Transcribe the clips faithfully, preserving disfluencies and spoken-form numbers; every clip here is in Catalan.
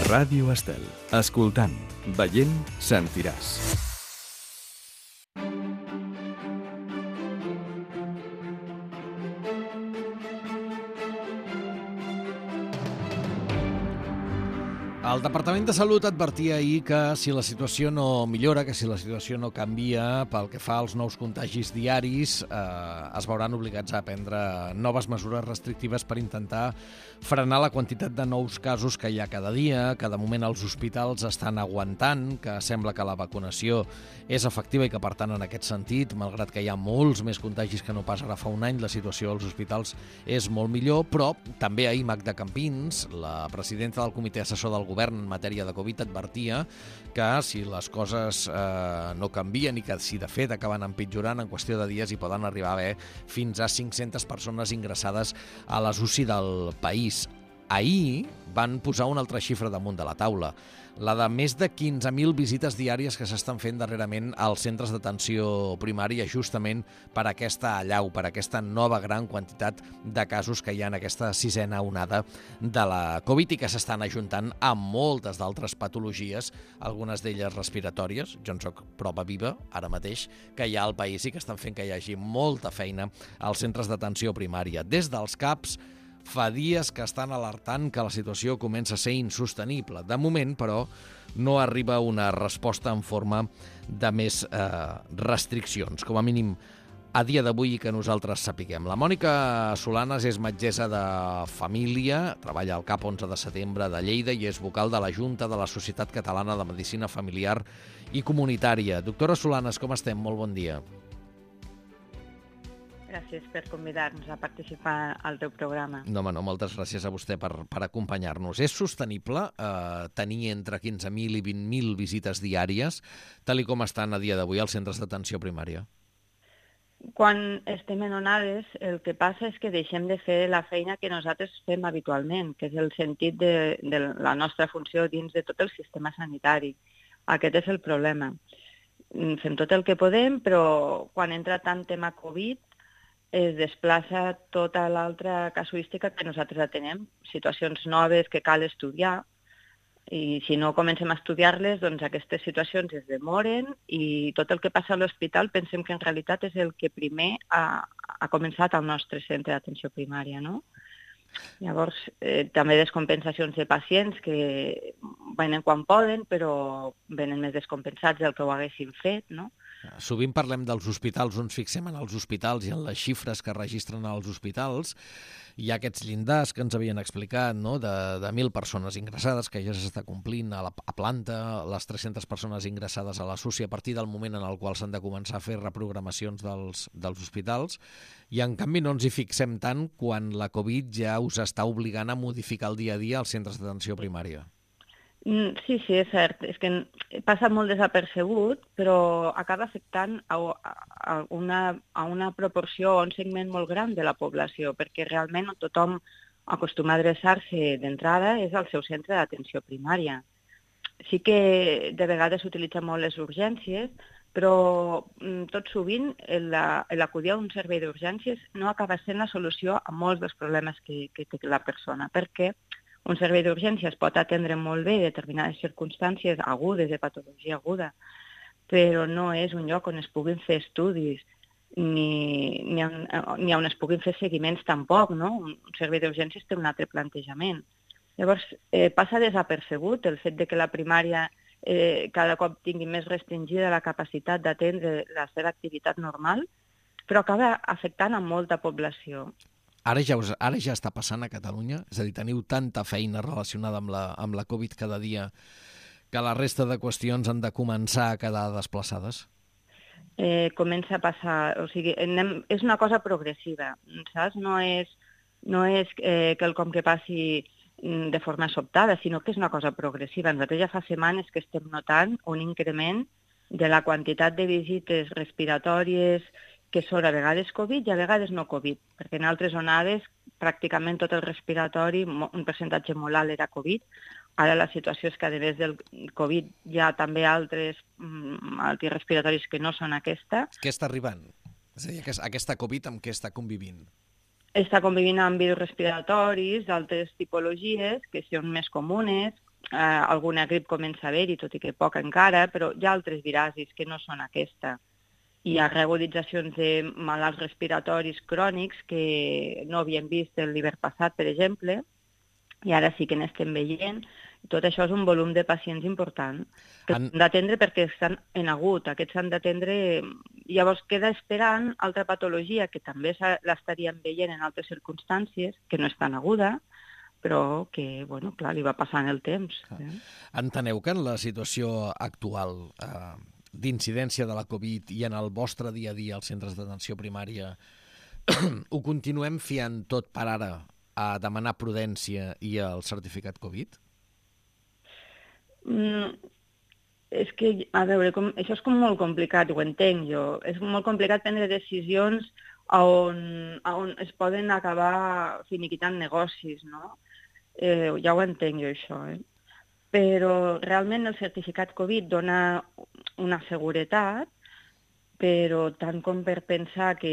Ràdio Estel. Escoltant, veient, sentiràs. El Departament de Salut advertia ahir que si la situació no millora, que si la situació no canvia pel que fa als nous contagis diaris, eh, es veuran obligats a prendre noves mesures restrictives per intentar frenar la quantitat de nous casos que hi ha cada dia, que de moment els hospitals estan aguantant, que sembla que la vacunació és efectiva i que, per tant, en aquest sentit, malgrat que hi ha molts més contagis que no pas ara fa un any, la situació als hospitals és molt millor, però també ahir Magda Campins, la presidenta del Comitè Assessor del Govern en matèria de Covid, advertia que si les coses eh, no canvien i que si de fet acaben empitjorant, en qüestió de dies hi poden arribar a haver fins a cinc-centes persones ingressades a les U C I del país. Ahir van posar una altra xifra damunt de la taula, la de més de quinze mil visites diàries que s'estan fent darrerament als centres d'atenció primària justament per aquesta allau, per aquesta nova gran quantitat de casos que hi ha en aquesta sisena onada de la Covid i que s'estan ajuntant amb moltes d'altres patologies, algunes d'elles respiratòries. Jo en soc prova viva ara mateix que hi ha al país i que estan fent que hi hagi molta feina als centres d'atenció primària. Des dels CAPs fa dies que estan alertant que la situació comença a ser insostenible. De moment, però, no arriba una resposta en forma de més eh, restriccions, com a mínim a dia d'avui que nosaltres sapiguem. La Mònica Solanes és metgessa de família, treballa al CAP onze de setembre de Lleida i és vocal de la Junta de la Societat Catalana de Medicina Familiar i Comunitària. Doctora Solanes, com estem? Molt bon dia. Gràcies per convidar-nos a participar al teu programa. No, home, no, moltes gràcies a vostè per, per acompanyar-nos. És sostenible eh, tenir entre quinze mil i vint mil visites diàries, tal i com estan a dia d'avui als centres d'atenció primària? Quan estem en onades, el que passa és que deixem de fer la feina que nosaltres fem habitualment, que és el sentit de, de la nostra funció dins de tot el sistema sanitari. Aquest és el problema. Fem tot el que podem, però quan entra tant tema Covid, es desplaça tota l'altra casuística que nosaltres atenem, situacions noves que cal estudiar, i si no comencem a estudiar-les, doncs aquestes situacions es demoren i tot el que passa a l'hospital pensem que en realitat és el que primer ha, ha començat al nostre centre d'atenció primària, no? Llavors, eh, també descompensacions de pacients que venen quan poden, però venen més descompensats del que ho haguessin fet, no? Sovint parlem dels hospitals, ens fixem en els hospitals i en les xifres que registren als hospitals. Hi ha aquests llindars que ens havien explicat, no?, de, de mil persones ingressades, que ja s'està complint a, la, a planta, les tres-centes persones ingressades a la S U C I a partir del moment en el qual s'han de començar a fer reprogramacions dels, dels hospitals, i en canvi no ens hi fixem tant quan la Covid ja us està obligant a modificar el dia a dia als centres d'atenció primària. Sí, sí, és cert. És que passa molt desapercebut, però acaba afectant a, a, una, a una proporció o un segment molt gran de la població, perquè realment tothom acostuma a adreçar-se d'entrada és al seu centre d'atenció primària. Sí que de vegades s'utilitzen molt les urgències, però tot sovint l'acudir a un servei d'urgències no acaba sent la solució a molts dels problemes que, que té la persona, perquè un servei d'urgències pot atendre molt bé determinades circumstàncies agudes, de patologia aguda, però no és un lloc on es puguin fer estudis, ni, ni, on, ni on es puguin fer seguiments tampoc, no? Un servei d'urgències té un altre plantejament. Llavors, eh, passa desapercebut el fet de que la primària eh, cada cop tingui més restringida la capacitat d'atendre la seva activitat normal, però acaba afectant a molta població. Ara ja, us, ara ja està passant a Catalunya? És a dir, teniu tanta feina relacionada amb la, amb la Covid cada dia que la resta de qüestions han de començar a quedar desplaçades? Eh, comença a passar, o sigui, anem, és una cosa progressiva, saps? No és, no és eh, quelcom que passi de forma sobtada, sinó que és una cosa progressiva. Nosaltres ja fa setmanes que estem notant un increment de la quantitat de visites respiratòries que són a vegades Covid i a vegades no Covid, perquè en altres onades pràcticament tot el respiratori, un percentatge molt alt era Covid. Ara la situació és que a més del Covid hi ha també altres malalties respiratoris que no són aquesta. Què està arribant? És a dir, aquesta Covid amb què està convivint? Està convivint amb virus respiratoris d'altres tipologies que són més comunes, eh, alguna grip comença a haver-hi, tot i que poc encara, però hi ha altres virasis que no són aquesta. Hi ha regolitzacions de malalts respiratoris crònics que no havíem vist l'hivern passat, per exemple, i ara sí que n'estem veient. Tot això és un volum de pacients important que Han- s'han d'atendre perquè estan en agut. Aquests s'han d'atendre... Llavors queda esperant altra patologia que també s'ha- l'estaríem veient en altres circumstàncies, que no és tan aguda, però que, bueno, clar, li va passant el temps. Eh? Enteneu que en la situació actual eh, d'incidència de la Covid i en el vostre dia a dia als centres d'atenció primària ho continuem fiant tot per ara a demanar prudència i el certificat Covid? Mm, és que, a veure, com, això és com molt complicat, ho entenc jo. És molt complicat prendre decisions on, on es poden acabar finiquitant negocis, no? Eh, ja ho entenc jo, això, eh? Però realment el certificat Covid dona una seguretat, però tant com per pensar que,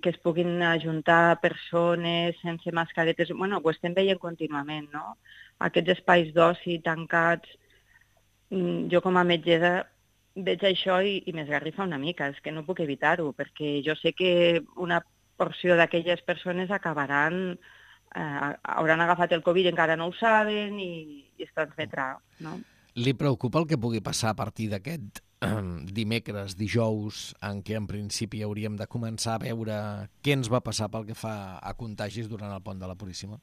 que es puguin ajuntar persones sense mascaretes, bueno, ho estem veient contínuament, no? Aquests espais d'oci tancats, mm, jo com a metgessa veig això i, i m'esgarrifa una mica, és que no puc evitar-ho, perquè jo sé que una porció d'aquelles persones acabaran, eh, hauran agafat el Covid, encara no ho saben i, i es transmetrà, no? Li preocupa el que pugui passar a partir d'aquest eh, dimecres, dijous, en què en principi hauríem de començar a veure què ens va passar pel que fa a contagis durant el pont de la Puríssima?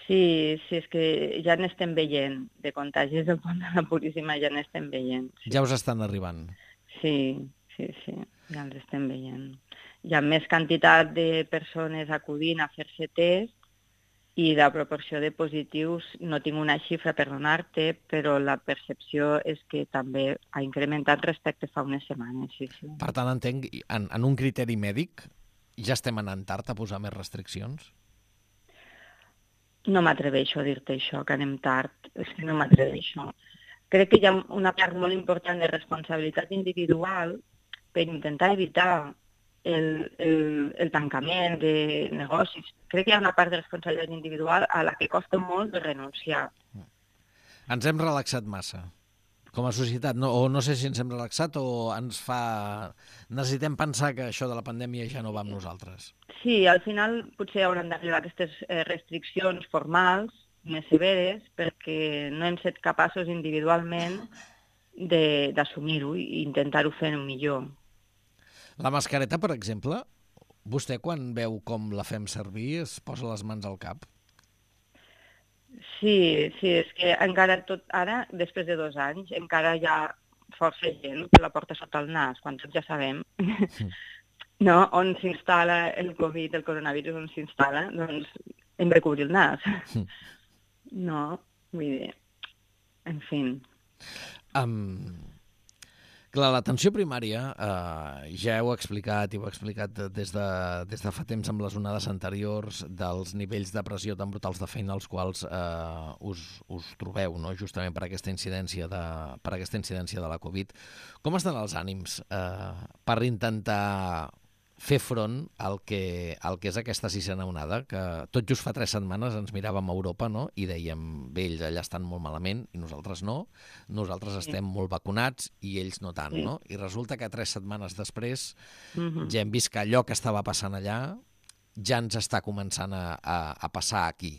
Sí, sí, és que ja n'estem veient, de contagis del pont de la Puríssima ja n'estem veient. Sí. Ja us estan arribant. Sí, sí, sí, ja els estem veient. Hi ha més quantitat de persones acudint a fer-se test i la proporció de positius, no tinc una xifra per donar-te, però la percepció és que també ha incrementat respecte fa unes setmanes, sí, sí. Per tant, entenc, en, en un criteri mèdic, ja estem anant tard a posar més restriccions? No m'atreveixo a dir-te això, que anem tard, és que no m'atreveixo. Crec que hi ha una part molt important de responsabilitat individual per intentar evitar el, el, el tancament de negocis. Crec que hi ha una part de responsabilitat individual a la que costa molt de renunciar. Ens hem relaxat massa, com a societat, no, o no sé si ens hem relaxat o ens fa... Necessitem pensar que això de la pandèmia ja no va amb nosaltres. Sí, al final potser hauran d'arribar aquestes eh, restriccions formals més severes perquè no hem set capaços individualment d'assumir-ho i intentar-ho fer millor. La mascareta, per exemple, vostè quan veu com la fem servir es posa les mans al cap? Sí, sí, és que encara tot ara, després de dos anys, encara hi ha força gent que la porta sota el nas, quan tots ja sabem no, on s'instal·la el Covid, el coronavirus, on s'instal·la, doncs hem de cobrir el nas. No, vull dir, en fi. Um, clar, l'atenció primària, eh, ja heu explicat i ho heu explicat des de, des de fa temps amb les onades anteriors dels nivells de pressió tan brutals de feina als quals eh, us, us trobeu, no? Justament per aquesta incidència de, per aquesta incidència de la Covid. Com estan els ànims eh, per intentar fer front al que, al que és aquesta sisena onada, que tot just fa tres setmanes ens miràvem a Europa, no? I dèiem, bé, ells allà estan molt malament i nosaltres no, nosaltres estem molt vacunats i ells no tant, no? I resulta que tres setmanes després Mm-hmm. ja hem vist que allò que estava passant allà ja ens està començant a, a, a passar aquí.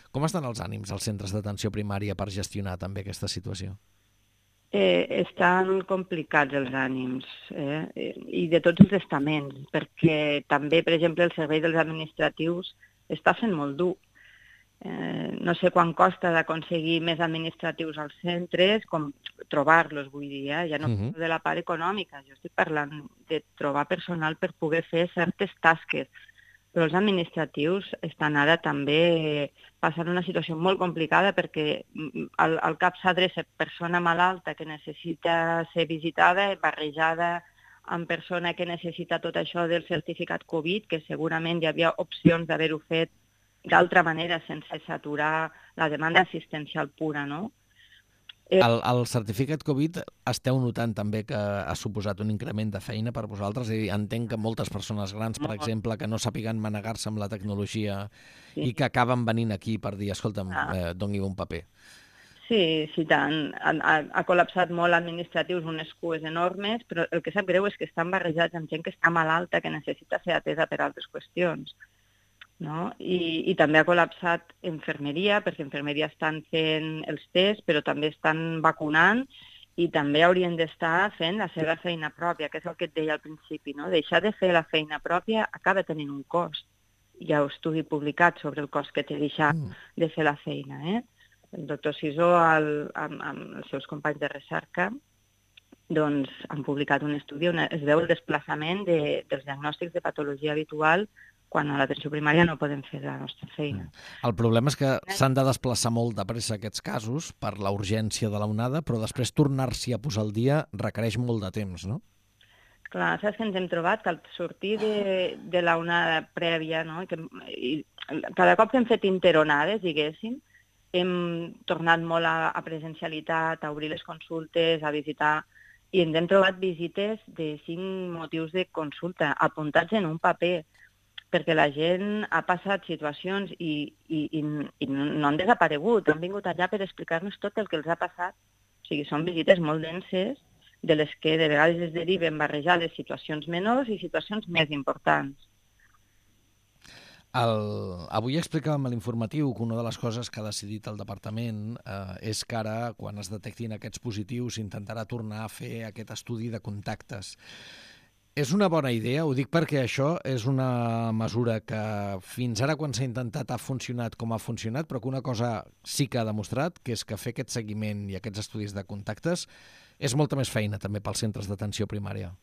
Com estan els ànims als centres d'atenció primària per gestionar també aquesta situació? Eh, estan complicats els ànims, eh? I de tots els estaments, perquè també, per exemple, el servei dels administratius està fent molt dur. Eh, no sé quan costa d'aconseguir més administratius als centres, com trobar-los, vull dir, eh? Ja no Mhm. parlo de la part econòmica, jo estic parlant de trobar personal per poder fer certes tasques. Però els administratius estan ara també passant una situació molt complicada perquè al, al cap s'adreça persona malalta que necessita ser visitada, barrejada amb persona que necessita tot això del certificat Covid, que segurament hi havia opcions d'haver-ho fet d'altra manera sense saturar la demanda assistencial pura, no? El, el certificat Covid esteu notant també que ha suposat un increment de feina per vosaltres? I entenc que moltes persones grans, per exemple, que no sàpiguen manegar-se amb la tecnologia Sí. i que acaben venint aquí per dir, escolta'm, Ah. eh, doni un paper. Sí, sí, tant. Ha, ha, ha col·lapsat molt administratius, unes cues enormes, però el que sap greu és que estan barrejats amb gent que està malalta, que necessita ser atesa per altres qüestions. No? I, I també ha col·lapsat infermeria, perquè infermeria estan fent els tests, però també estan vacunant i també haurien d'estar fent la seva feina pròpia, que és el que et deia al principi. No? Deixar de fer la feina pròpia acaba tenint un cost. Hi ha un estudi publicat sobre el cost que té deixar mm. de fer la feina. Eh? El doctor Sisó, el, amb, amb els seus companys de recerca, doncs, han publicat un estudi on es veu el desplaçament de, dels diagnòstics de patologia habitual quan a l'atenció primària no podem fer la nostra feina. El problema és que s'han de desplaçar molt de pressa aquests casos per la urgència de l'onada, però després tornar-s'hi a posar al dia requereix molt de temps, no? Clar, saps que ens hem trobat que al sortir de, de l'onada prèvia, no? I que, i cada cop que hem fet interonades, diguéssim, hem tornat molt a, a presencialitat, a obrir les consultes, a visitar, i ens hem trobat visites de cinc motius de consulta, apuntats en un paper, perquè la gent ha passat situacions i, i, i, i no han desaparegut, han vingut allà per explicar-nos tot el que els ha passat. O sigui, són visites molt denses, de les que de vegades es deriven barrejades situacions menors i situacions més importants. El... Avui explicàvem a l'informatiu que una de les coses que ha decidit el departament eh, és que ara, quan es detectin aquests positius, s'intentarà tornar a fer aquest estudi de contactes. És una bona idea, ho dic perquè això és una mesura que fins ara quan s'ha intentat ha funcionat com ha funcionat, però que una cosa sí que ha demostrat, que és que fer aquest seguiment i aquests estudis de contactes és molta més feina també pels centres d'atenció primària.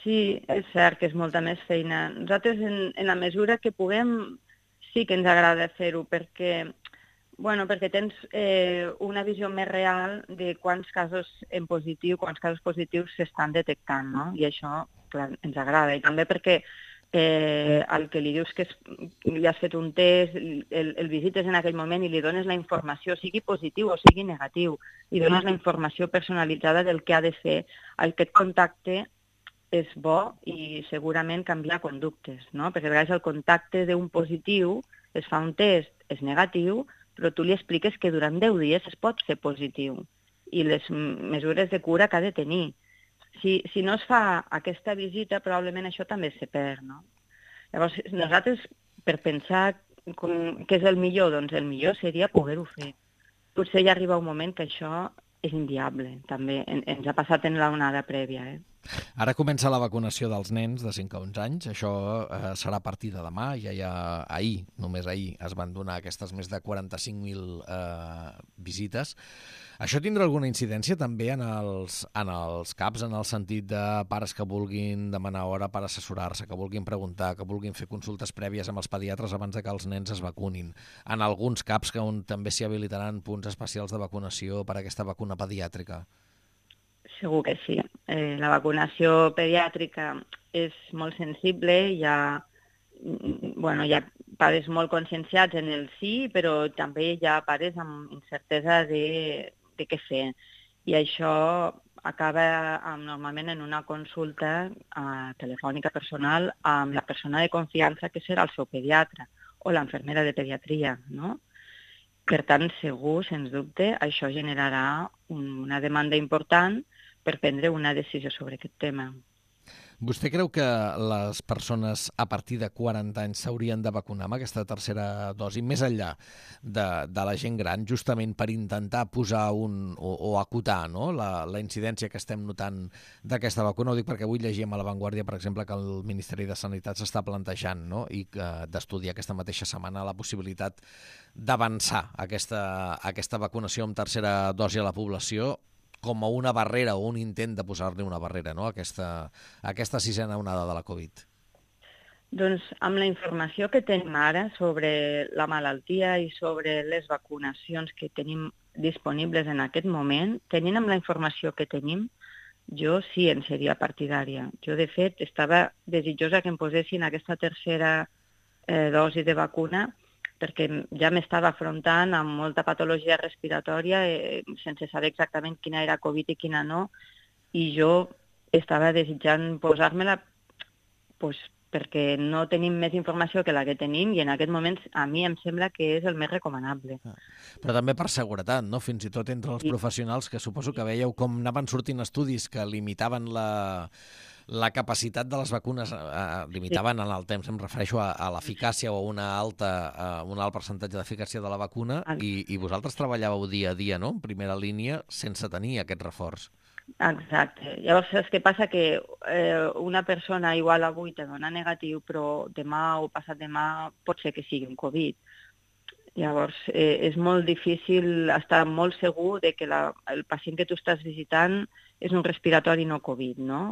Sí, és cert que és molta més feina. Nosaltres, en, en la mesura que puguem, sí que ens agrada fer-ho, perquè, bueno, perquè tens eh, una visió més real de quants casos en positiu, quants casos positius s'estan detectant, no? I això, clar, ens agrada. I també perquè eh, al que li dius que es, li has fet un test, el, el visites en aquell moment i li dones la informació, sigui positiu o sigui negatiu, i dones la informació personalitzada del que ha de fer. Aquest contacte és bo i segurament canviar conductes, no? Perquè a vegades el contacte d'un positiu es fa un test, és negatiu, però tu li expliques que durant deu dies es pot ser positiu i les mesures de cura que ha de tenir. Si, si no es fa aquesta visita, probablement això també se perd, no? Llavors, nosaltres, per pensar com, què és el millor, doncs el millor seria poder-ho fer. Potser ja arriba un moment que això és inviable, també. En, ens ha passat en l'onada prèvia, eh? Ara comença la vacunació dels nens de cinc a onze anys. Això eh, serà a partir de demà. Ja hi ha ahir, només ahir, es van donar aquestes més de quaranta-cinc mil eh, visites. Això tindrà alguna incidència també en els, en els CAPs, en el sentit de pares que vulguin demanar hora per assessorar-se, que vulguin preguntar, que vulguin fer consultes prèvies amb els pediatres abans de que els nens es vacunin. En alguns CAPs que on també s'hi habilitaran punts especials de vacunació per a aquesta vacuna pediàtrica. Segur que sí. Eh, la vacunació pediàtrica és molt sensible, hi ha, bueno, hi ha pares molt conscienciats en el sí, però també hi ha pares amb incertesa de, de què fer. I això acaba amb, normalment en una consulta eh, telefònica personal amb la persona de confiança que serà el seu pediatre o l'infermera de pediatria, no? Per tant, segur, sens dubte, això generarà un, una demanda important per prendre una decisió sobre aquest tema. Vostè creu que les persones a partir de quaranta anys s'haurien de vacunar amb aquesta tercera dosi, més enllà de, de la gent gran, justament per intentar posar un, o, o acotar, no?, la, la incidència que estem notant d'aquesta vacuna? Ho dic perquè avui llegíem a La Vanguardia, per exemple, que el Ministeri de Sanitat s'està plantejant, no?, i que d'estudiar aquesta mateixa setmana la possibilitat d'avançar aquesta, aquesta vacunació amb tercera dosi a la població, com a una barrera o un intent de posar-li una barrera, no?, a aquesta, a aquesta sisena onada de la Covid. Doncs amb la informació que tenim ara sobre la malaltia i sobre les vacunacions que tenim disponibles en aquest moment, tenint amb la informació que tenim, jo sí en seria partidària. Jo, de fet, estava desitjosa que em posessin aquesta tercera eh, dosi de vacuna perquè ja m'estava afrontant amb molta patologia respiratòria eh, sense saber exactament quina era Covid i quina no, i jo estava desitjant posar-me-la pues, perquè no tenim més informació que la que tenim i en aquest moment a mi em sembla que és el més recomanable. Però també per seguretat, no? Fins i tot entre els professionals, que suposo que veieu com anaven sortint estudis que limitaven la, la capacitat de les vacunes, eh, limitaven en el temps, em refereixo a, a l'eficàcia o a una alta, a un alt percentatge d'eficàcia de la vacuna, i, i vosaltres treballàveu dia a dia, no?, en primera línia, sense tenir aquest reforç. Exacte. Llavors, és que passa que eh, una persona igual avui te dona negatiu, però demà o passat demà pot ser que sigui un Covid. Llavors, eh, és molt difícil estar molt segur de que la, el pacient que tu estàs visitant és un respiratori no Covid, no?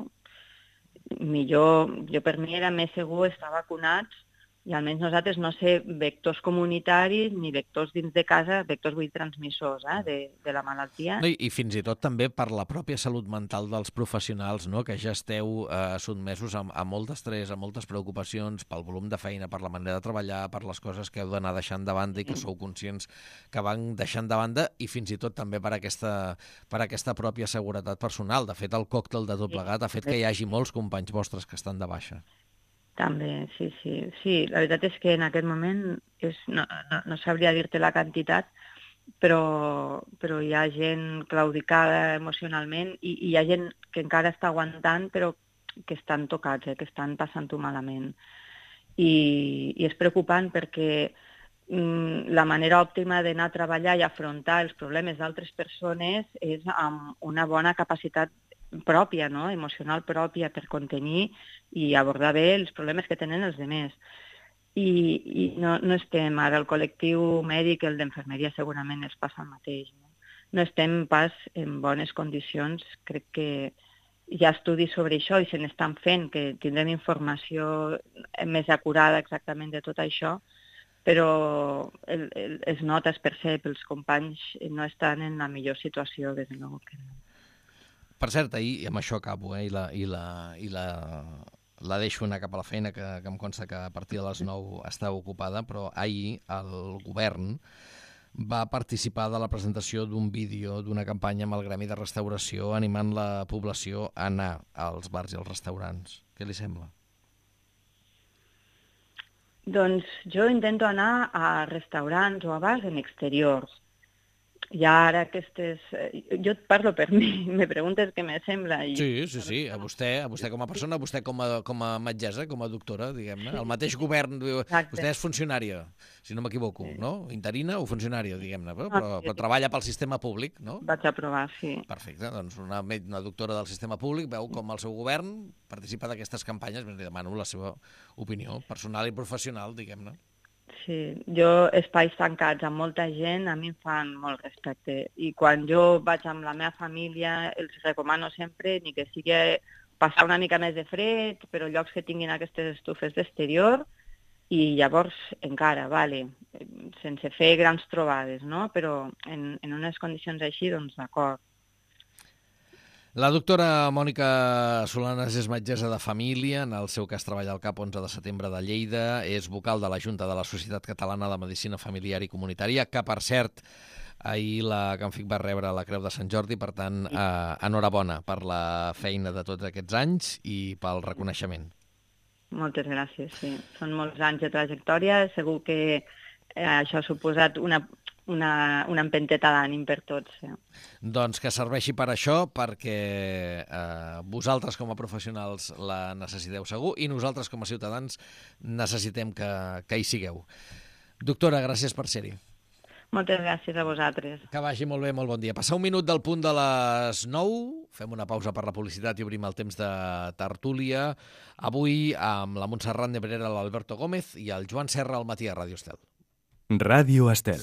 Millor, jo per mi era més segur estar vacunats i almenys nosaltres no ser vectors comunitaris ni vectors dins de casa, vectors vull transmissors eh, de, de la malaltia. No, i, I fins i tot també per la pròpia salut mental dels professionals, no?, que ja esteu eh, sotmesos a, a molt d'estrès, a moltes preocupacions pel volum de feina, per la manera de treballar, per les coses que heu d'anar deixant de banda i que sou conscients que van deixant de banda, i fins i tot també per aquesta, per aquesta pròpia seguretat personal. De fet, el còctel de tot plegat ha fet que hi hagi molts companys vostres que estan de baixa. També, sí, sí. Sí, la veritat és que en aquest moment és, no, no, no sabria dir-te la quantitat, però, però hi ha gent claudicada emocionalment i, i hi ha gent que encara està aguantant però que estan tocats, eh, que estan passant-ho malament. I, I és preocupant perquè mm, la manera òptima d'anar a treballar i afrontar els problemes d'altres persones és amb una bona capacitat pròpia, no?, emocional pròpia per contenir i abordar bé els problemes que tenen els altres. I, i no, no estem, ara el col·lectiu mèdic, el d'enfermeria segurament els passa el mateix. No? no estem pas en bones condicions, crec que hi ha estudis sobre això i se n'estan fent, que tindrem informació més acurada exactament de tot això, però el, el, es nota, es percep, els companys no estan en la millor situació, des de nou que no. Per cert, ahir, i amb això acabo, eh, i, la, i, la, i la, la deixo anar cap a la feina, que, que em consta que a partir de les nou està ocupada, però ahir el govern va participar de la presentació d'un vídeo d'una campanya amb el Gremi de Restauració animant la població a anar als bars i als restaurants. Què li sembla? Doncs jo intento anar a restaurants o a bars en exteriors. I ara aquestes... Jo et parlo per mi, me preguntes què me sembla. I... Sí, sí, sí, a vostè, a vostè com a persona, a vostè com a, com a metgessa, com a doctora, diguem-ne. El mateix govern, Exacte. Vostè és funcionària, si no m'equivoco, no? Interina o funcionària, diguem-ne, però, però, però treballa pel sistema públic, no? Vaig aprovar, sí. Perfecte, doncs una, una doctora del sistema públic veu com el seu govern participa d'aquestes campanyes, li demano la seva opinió personal i professional, diguem-ne. Sí, jo espais tancats amb molta gent a mi em fan molt respecte i quan jo vaig amb la meva família els recomano sempre ni que sigui passar una mica més de fred, però llocs que tinguin aquestes estufes d'exterior i llavors encara, vale, sense fer grans trobades, no? Però en, en unes condicions així, doncs d'acord. La doctora Mònica Solanes és metgessa de família, en el seu cas treballa al CAP onze de setembre de Lleida, és vocal de la Junta de la Societat Catalana de Medicina Familiar i Comunitària, que, per cert, ahir la Camfic va rebre la Creu de Sant Jordi, per tant, eh, enhorabona per la feina de tots aquests anys i pel reconeixement. Moltes gràcies, sí. Són molts anys de trajectòria, segur que eh, això ha suposat una... Una, una empenteta d'ànim per tots. Eh? Doncs que serveixi per això, perquè eh, vosaltres com a professionals la necessiteu segur i nosaltres com a ciutadans necessitem que, que hi sigueu. Doctora, gràcies per ser-hi. Moltes gràcies a vosaltres. Que vagi molt bé, molt bon dia. Passar un minut del punt de les nou, fem una pausa per la publicitat i obrim el temps de tertúlia. Avui amb la Montserrat Nebrera, l'Alberto Gómez i el Joan Serra al matí a Ràdio Estel. Ràdio Estel.